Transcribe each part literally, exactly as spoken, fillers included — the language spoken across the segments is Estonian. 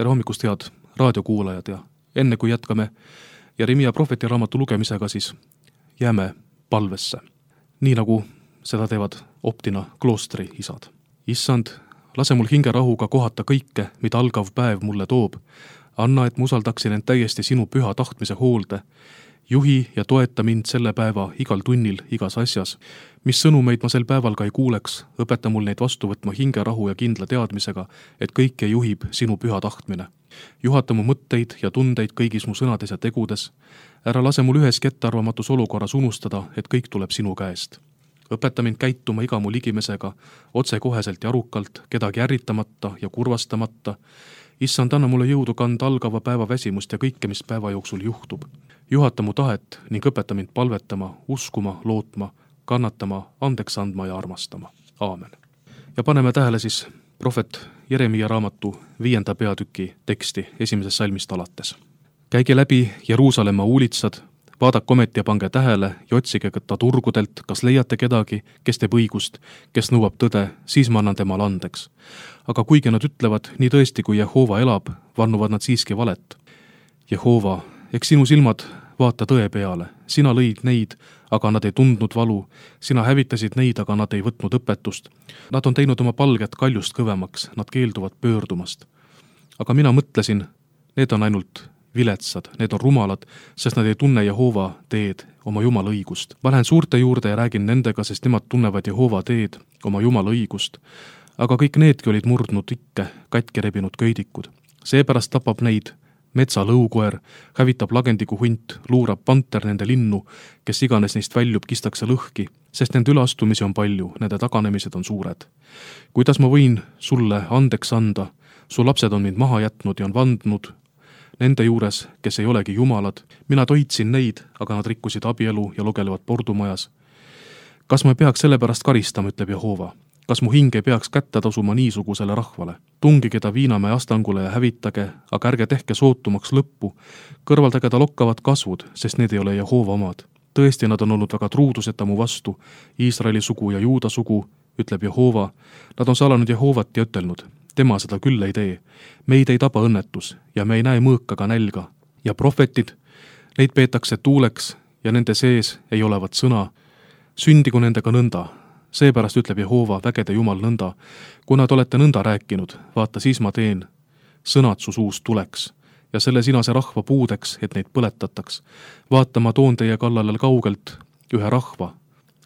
tere hommikust, head raadiokuulajad, ja enne kui jätkame Jeremia prohveti raamatu lugemisega, siis jääme palvesse, nii nagu seda teevad Optina kloostri isad. Issand, lase mul hingerahuga kohata kõike, mida algav päev mulle toob. Anna, et ma usaldaksin end täiesti sinu püha tahtmise hoolde. Juhi ja toeta mind selle päeva igal tunnil, igas asjas. Mis sõnumeid ma sel päeval ka ei kuuleks, õpeta mul neid vastu võtma hingerahu ja kindla teadmisega, et kõike juhib sinu püha tahtmine. Juhata mu mõtteid ja tundeid kõigis mu sõnades ja tegudes. Ära lase mul ühes kettarvamatus olukorras unustada, et kõik tuleb sinu käest. Õpeta mind käituma iga mu ligimesega, otsekoheselt ja arukalt, kedagi ärritamata ja kurvastamata. Issand, anna mulle jõudu kanda algava päeva väsimust ja kõike, mis päeva jooksul juhtub. Juhata mu tahet ning õpeta mind palvetama, uskuma, lootma, kannatama, andeks andma ja armastama. Aamen. Ja paneme tähele siis prohvet Jeremia raamatu viienda peatüki teksti esimesest salmist alates. Käige läbi Jeruusalemma uulitsad, vaadake ometi ja pange tähele ja otsige ta turgudelt, kas leiate kedagi, kes teeb õigust, kes nõuab tõde, siis ma annan temale andeks. Aga kuigi nad ütlevad, nii tõesti kui Jehova elab, vannuvad nad siiski valet. Jehova, eks sinu silmad vaata tõe peale. Sina lõid neid, aga nad ei tundnud valu. Sina hävitasid neid, aga nad ei võtnud õpetust. Nad on teinud oma palget kaljust kõvemaks, nad keelduvad pöördumast. Aga mina mõtlesin, need on ainult viletsad, need on rumalad, sest nad ei tunne Jehova teed, oma Jumala õigust. Ma lähen suurte juurde ja räägin nendega, sest nemad tunnevad Jehova teed, oma Jumala õigust. Aga kõik needki olid murdnud ikke, katki rebinud köidikud. Seepärast tapab neid metsa lõukoer, hävitab lagendiku hunt, luurab panter nende linnu, kes iganes neist väljub, kistakse lõhki, sest nende üleastumisi on palju, nende taganemised on suured. Kuidas ma võin sulle andeks anda? Su lapsed on mind maha jätnud ja on vandnud nende juures, kes ei olegi jumalad. Mina toitsin neid, aga nad rikkusid abielu ja lugelevad pordumajas. Kas ma peaks selle pärast karistama, ütleb Jehova? Kas mu hing ei peaks kätte tasuma niisugusele rahvale? Tungige ta Viinamäe astangule ja hävitage, aga ärge tehke sootumaks lõppu. Kõrvaldage ta lokkavad kasvud, sest need ei ole Jehova omad. Tõesti, nad on olnud väga truuduseta mu vastu. Iisraeli sugu ja Juuda sugu, ütleb Jehova. Nad on salanud Jehovat ja ütelnud, tema seda küll ei tee. Meid ei taba õnnetus ja me ei näe mõõkaga nälga. Ja prohvetid, neid peetakse tuuleks ja nende sees ei olevat sõna. Sündigu nendega nõnda. Seepärast ütleb Jehova, vägede Jumal nõnda. Kuna te olete nõnda rääkinud, vaata siis ma teen. Sõnad su suust tuleks ja selle sinase rahva puudeks, et neid põletataks. Vaata, ma toon teie kallale kaugelt ühe rahva,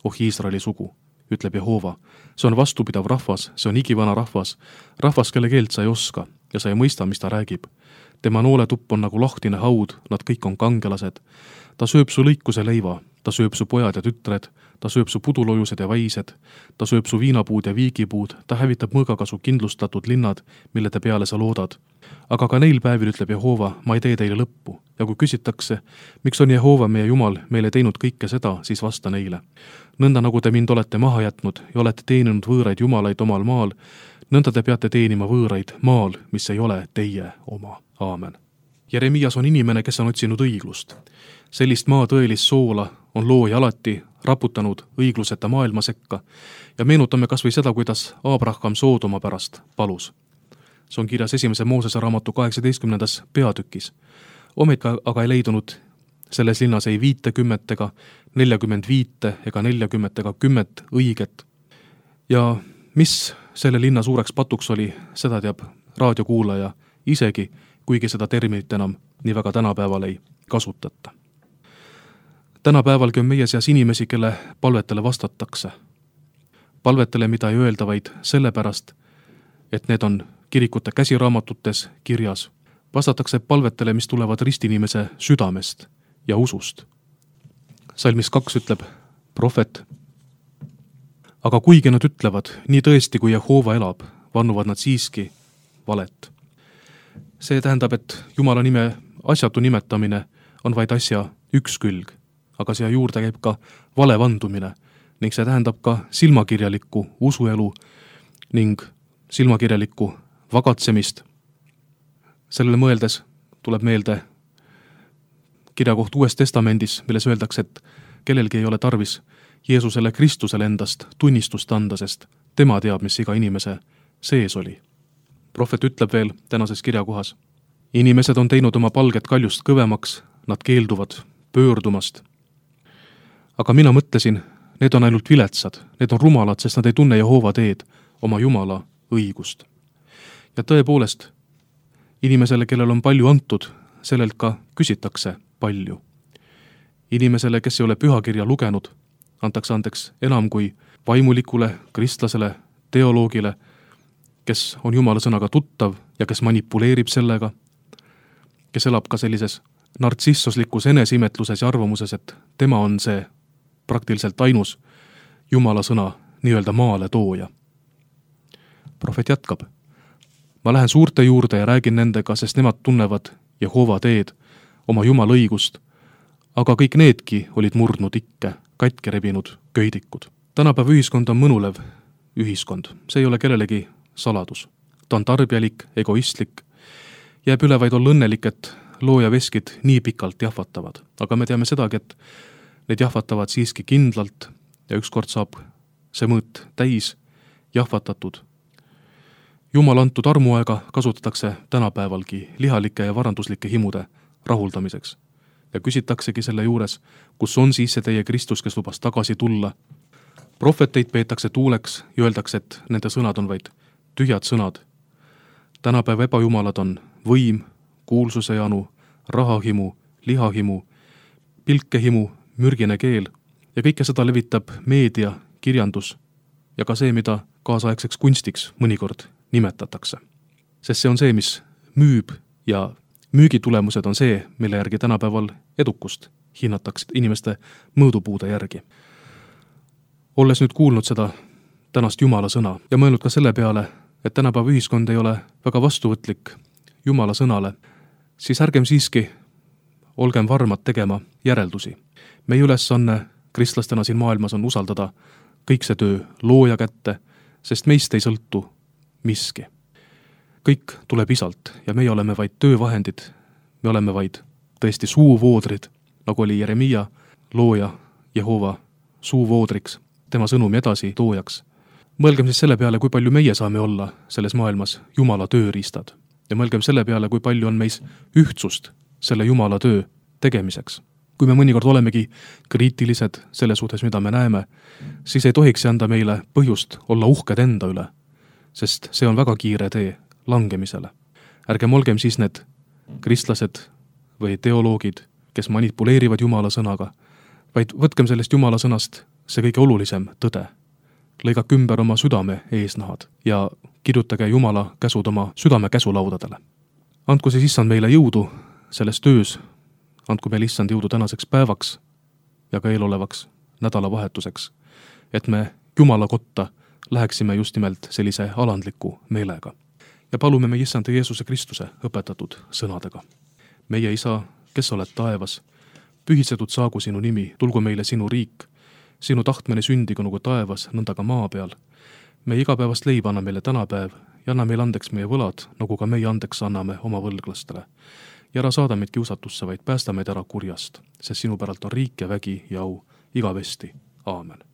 oh Iisraeli sugu, ütleb Jehova. See on vastupidav rahvas, see on igivana rahvas, rahvas, kelle keelt sa ei oska ja sa ei mõista, mis ta räägib. Tema nooletupp on nagu lahtine haud, nad kõik on kangelased. Ta sööb su lõikuse leiva, ta sööb su pojad ja tütred, ta sööb su pudulojused ja vaised, ta sööb su viinapuud ja viigipuud, ta hävitab mõõgaga su kindlustatud linnad, mille te peale sa loodad. Aga ka neil päevil ütleb Jehova, ma ei tee teile lõppu. Ja kui küsitakse, miks on Jehova meie Jumal meile teinud kõike seda, siis vasta neile. Nõnda nagu te mind olete maha jätnud ja olete teeninud võõraid jumalaid omal maal, nõnda te peate teenima võõraid maal, mis ei ole teie oma. Aamen. Jeremias on inimene, kes on otsinud õiglust. Sellist maa tõelist soola on looja alati raputanud õigluseta maailma sekka ja meenutame kas või seda, kuidas Abraham Soodoma pärast palus. See on kirjas esimese Moosese raamatu kaheksateistkümnendas peatükis. Ometi aga ei leidunud selles linnas ei viitekümmet ega neljakümmend viite ega neljakümmet ega kümmet õiget. Ja mis selle linna suureks patuks oli, seda teab raadiokuulaja isegi, kuigi seda terminit enam nii väga tänapäeval ei kasutata. Tänapäevalgi on meie seas inimesi, kelle palvetele vastatakse. Palvetele, mida ei öelda vaid sellepärast, et need on kirikute käsiraamatutes kirjas. Vastatakse palvetele, mis tulevad ristinimese südamest ja usust. Salmis kaks ütleb prohvet. Aga kuigi nad ütlevad, nii tõesti kui Jehova elab, vannuvad nad siiski valet. See tähendab, et Jumala nime asjatu nimetamine on vaid asja üks külg, aga siia juurde käib ka vale vandumine ning see tähendab ka silmakirjalikku usuelu ning silmakirjalikku vagatsemist. Sellele mõeldes tuleb meelde kirjakoht Uues Testamendis, milles öeldakse, et kellelgi ei ole tarvis Jeesusele Kristusele endast tunnistust anda, sest tema teab, mis iga inimese sees oli. prohvet ütleb veel tänases kirjakohas. Inimesed on teinud oma palget kaljust kõvemaks, nad keelduvad pöördumast. Aga mina mõtlesin, need on ainult viletsad, need on rumalad, sest nad ei tunne Jehoova teed, oma Jumala õigust. Ja tõepoolest, inimesele, kellel on palju antud, sellelt ka küsitakse palju. Inimesele, kes ei ole pühakirja lugenud, antakse andeks enam kui vaimulikule, kristlasele, teoloogile, kes on Jumala sõnaga tuttav ja kes manipuleerib sellega, kes elab ka sellises nartsissoslikus eneseimetluses ja arvamuses, et tema on see praktiliselt ainus Jumala sõna nii-öelda maale tooja. Prohvet jätkab. Ma lähen suurte juurde ja räägin nendega, sest nemad tunnevad Jehoova teed, oma Jumala õigust, aga kõik needki olid murdnud ikke, katki rebinud köidikud. Tänapäeva ühiskond on mõnulev ühiskond. See ei ole kellelegi saladus. Ta on tarbjalik, egoistlik, jääb üle vaid olla õnnelik, et looja veskid nii pikalt jahvatavad. Aga me teame sedagi, et need jahvatavad siiski kindlalt ja ükskord saab see mõõt täis jahvatatud. Jumal antud armuaega kasutatakse tänapäevalgi lihalike ja varanduslike himude rahuldamiseks. Ja küsitaksegi selle juures, kus on siis see teie Kristus, kes lubas tagasi tulla. Prohveteid peetakse tuuleks ja öeldakse, et nende sõnad on vaid tühjad sõnad. Tänapäeva ebajumalad on võim, kuulsuse janu, rahahimu, lihahimu, pilkehimu, mürgine keel ja kõike seda levitab meedia, kirjandus ja ka see, mida kaasaegseks kunstiks mõnikord nimetatakse. Sest see on see, mis müüb ja müügitulemused on see, mille järgi tänapäeval edukust hinnatakse inimeste mõõdupuude järgi. Olles nüüd kuulnud seda tänast Jumala sõna ja mõelnud ka selle peale, et tänapäeva ühiskond ei ole väga vastuvõtlik Jumala sõnale, siis ärgem siiski olgem varmad tegema järeldusi. Meie ülesanne kristlastena siin maailmas on usaldada kõik see töö looja kätte, sest meist ei sõltu miski. Kõik tuleb isalt ja meie oleme vaid töövahendid, me oleme vaid tõesti suuvoodrid, nagu oli Jeremia looja Jehova suuvoodriks, tema sõnumi edasi toojaks. Mõelgem siis selle peale, kui palju meie saame olla selles maailmas Jumala tööriistad ja mõelgem selle peale, kui palju on meis ühtsust selle Jumala töö tegemiseks. Kui me mõnikord olemegi kriitilised selle suhtes, mida me näeme, siis ei tohiks anda meile põhjust olla uhked enda üle, sest see on väga kiire tee langemisele. Ärgem olgem siis need kristlased või teoloogid, kes manipuleerivad Jumala sõnaga, vaid võtkem sellest Jumala sõnast see kõige olulisem tõde. Lõigake ümber oma südame eesnahad ja kirjutage Jumala käsud oma südame käsulaudadele. Andku siis issand meile jõudu selles töös, andku meile issand jõudu tänaseks päevaks ja ka eelolevaks nädalavahetuseks, et me Jumala kotta läheksime just nimelt sellise alandliku meelega. Ja palume me issand Jeesuse Kristuse õpetatud sõnadega. Meie isa, kes oled taevas, pühitsetud saagu sinu nimi, tulgu meile sinu riik, sinu tahtmine sündigu nagu taevas, nõnda ka maa peal. Meie igapäevast leiba anna meile tänapäev ja anna meile andeks meie võlad, nagu ka meie andeks anname oma võlglastele. Ja ära saada meid kiusatusse, vaid päästa meid ära kurjast, sest sinu päralt on riik ja vägi ja au igavesti. Aamen.